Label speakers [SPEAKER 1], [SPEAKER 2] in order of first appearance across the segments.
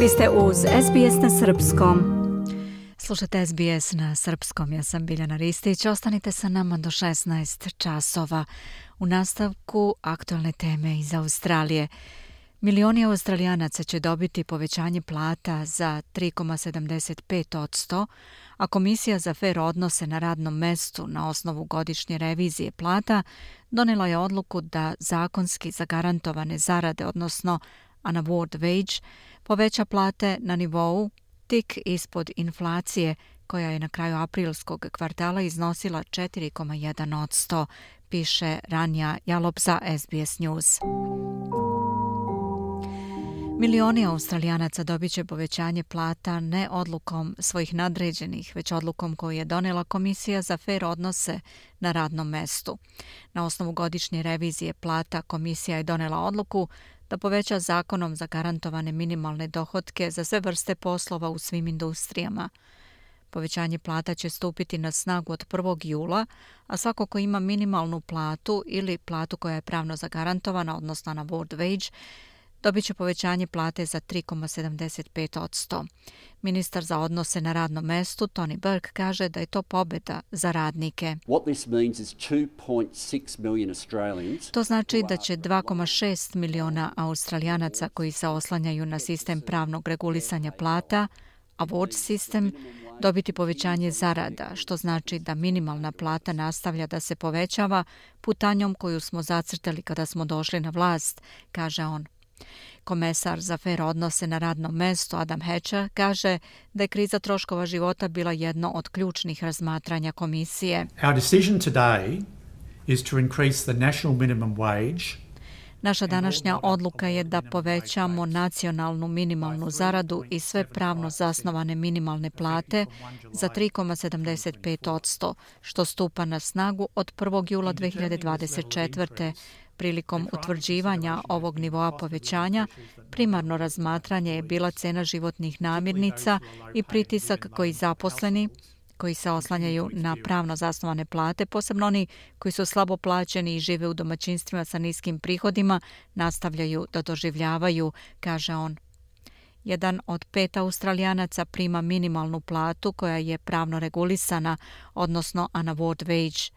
[SPEAKER 1] Vi ste uz SBS na srpskom.
[SPEAKER 2] Slušajte SBS na srpskom, ja sam Biljana Ristić. Ostanite sa nama do 16 časova. U nastavku aktualne teme iz Australije. Milioni Australijanaca će dobiti povećanje plata za 3,75%, a Komisija za fer odnose na radnom mestu na osnovu godišnje revizije plata donela je odluku da zakonski zagarantovane zarade, odnosno unaward wage, poveća plate na nivou tik ispod inflacije, koja je na kraju aprilskog kvartala iznosila 4,1%, piše Ranja Jalop za SBS News. Milioni Australijanaca dobit će povećanje plata ne odlukom svojih nadređenih, već odlukom koju je donela Komisija za fer odnose na radnom mestu. Na osnovu godišnje revizije plata Komisija je donela odluku da poveća zakonom zagarantovane minimalne dohotke za sve vrste poslova u svim industrijama. Povećanje plata će stupiti na snagu od 1. jula, a svako ko ima minimalnu platu ili platu koja je pravno zagarantovana, odnosno na unaward wage, dobit će povećanje plate za 3,75%. Ministar za odnose na radnom mestu Tony Burke kaže da je to pobjeda za radnike. To znači da će 2,6 miliona Australijanaca koji se oslanjaju na sistem pravnog regulisanja plata, award sistem, dobiti povećanje zarada, što znači da minimalna plata nastavlja da se povećava putanjom koju smo zacrtali kada smo došli na vlast, kaže on. Komesar za fer odnose na radnom mestu Adam Hatcher kaže da je kriza troškova života bila jedno od ključnih razmatranja komisije.
[SPEAKER 3] Our decision today is to increase the national minimum wage.
[SPEAKER 2] Naša današnja odluka je da povećamo nacionalnu minimalnu zaradu i sve pravno zasnovane minimalne plate za 3,75%, što stupa na snagu od 1. jula 2024. Prilikom utvrđivanja ovog nivoa povećanja, primarno razmatranje je bila cena životnih namirnica i pritisak koji zaposleni, koji se oslanjaju na pravno zasnovane plate, posebno oni koji su slabo plaćeni i žive u domaćinstvima sa niskim prihodima, nastavljaju da doživljavaju, kaže on. 1 od 5 Australijanaca prima minimalnu platu koja je pravno regulisana, odnosno unaward wage.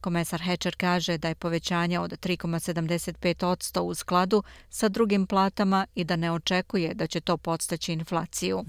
[SPEAKER 2] Komesar Hatcher kaže da je povećanje od 3,75% u skladu sa drugim platama i da ne očekuje da će to podstaći inflaciju.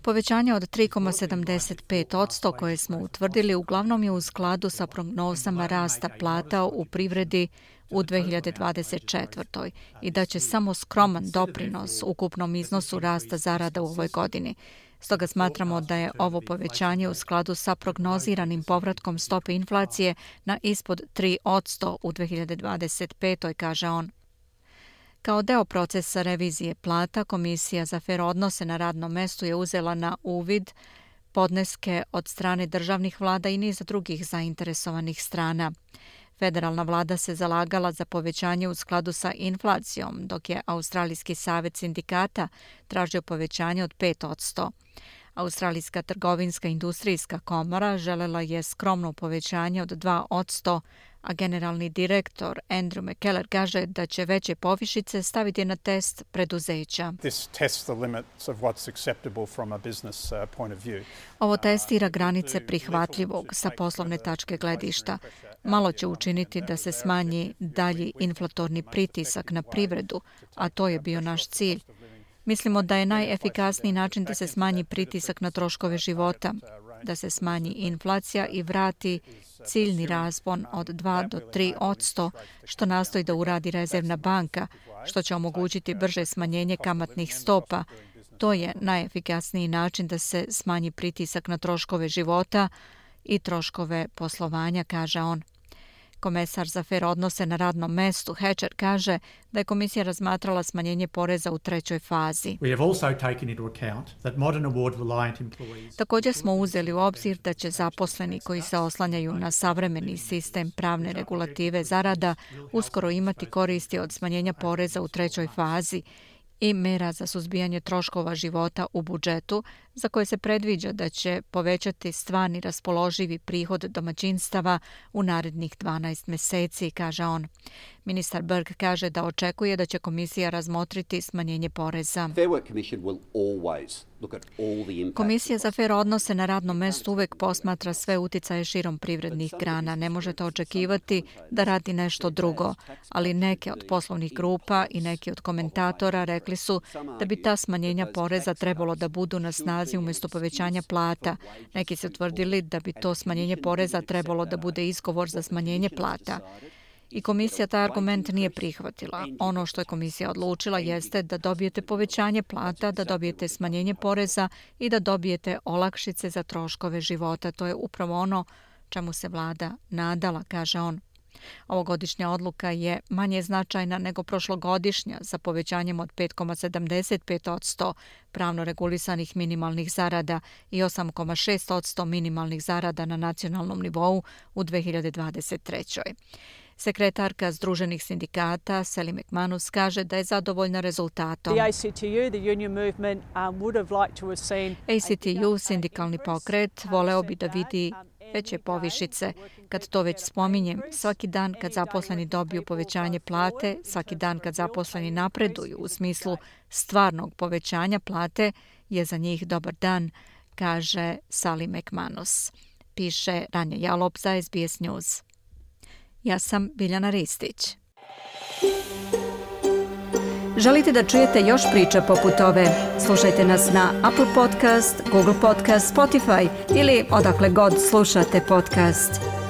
[SPEAKER 2] Povećanje od 3,75% koje smo utvrdili uglavnom je u skladu sa prognozama rasta plata u privredi u 2024. i da će samo skroman doprinos ukupnom iznosu rasta zarada u ovoj godini. Stoga smatramo da je ovo povećanje u skladu sa prognoziranim povratkom stope inflacije na ispod 3% u 2025. kaže on. Kao deo procesa revizije plata, Komisija za fer odnose na radnom mestu je uzela na uvid podneske od strane državnih vlada i niza drugih zainteresovanih strana. Federalna vlada se zalagala za povećanje u skladu sa inflacijom, dok je Australijski savez sindikata tražio povećanje od 5%. Australijska trgovinska industrijska komora želela je skromno povećanje od 2%, a generalni direktor Andrew McKellar kaže da će veće povišice staviti na test preduzeća. Ovo testira granice prihvatljivog sa poslovne tačke gledišta. Malo će učiniti da se smanji dalji inflatorni pritisak na privredu, a to je bio naš cilj. Mislimo da je najefikasniji način da se smanji pritisak na troškove života, da se smanji inflacija i vrati ciljni raspon od 2 do 3%, što nastoji da uradi Rezervna banka, što će omogućiti brže smanjenje kamatnih stopa. To je najefikasniji način da se smanji pritisak na troškove života i troškove poslovanja, kaže on. Komesar za fer odnose na radnom mestu Hatcher kaže da je komisija razmatrala smanjenje poreza u 3. fazi. Također smo uzeli u obzir da će zaposleni koji se oslanjaju na savremeni sistem pravne regulative zarada uskoro imati koristi od smanjenja poreza u 3. fazi i mera za suzbijanje troškova života u budžetu, za koje se predviđa da će povećati stvarni raspoloživi prihod domaćinstava u narednih 12 meseci, kaže on. Ministar Burke kaže da očekuje da će komisija razmotriti smanjenje poreza. Komisija za fer odnose na radnom mestu uvek posmatra sve uticaje širom privrednih grana. Ne možete očekivati da radi nešto drugo, ali neke od poslovnih grupa i neki od komentatora rekli su da bi ta smanjenja poreza trebalo da budu na snazi umjesto povećanja plata. Neki su tvrdili da bi to smanjenje poreza trebalo da bude izgovor za smanjenje plata. I komisija taj argument nije prihvatila. Ono što je komisija odlučila jeste da dobijete povećanje plata, da dobijete smanjenje poreza i da dobijete olakšice za troškove života. To je upravo ono čemu se vlada nadala, kaže on. Ovogodišnja odluka je manje značajna nego prošlogodišnja sa povećanjem od 5,75% pravno regulisanih minimalnih zarada i 8,6% minimalnih zarada na nacionalnom nivou u 2023. Sekretarka Združenih sindikata Sally McManus kaže da je zadovoljna rezultatom. ACTU, sindikalni pokret, voleo bi da vidi veće povišice. Kad to već spominjem, svaki dan kad zaposleni dobiju povećanje plate, svaki dan kad zaposleni napreduju u smislu stvarnog povećanja plate je za njih dobar dan, kaže Sally McManus. Piše Ranja Jalop za SBS News. Ja sam Biljana Ristić.
[SPEAKER 1] Želite da čujete još priča poput ove? Slušajte nas na Apple Podcast, Google Podcast, Spotify ili odakle god slušate podcast.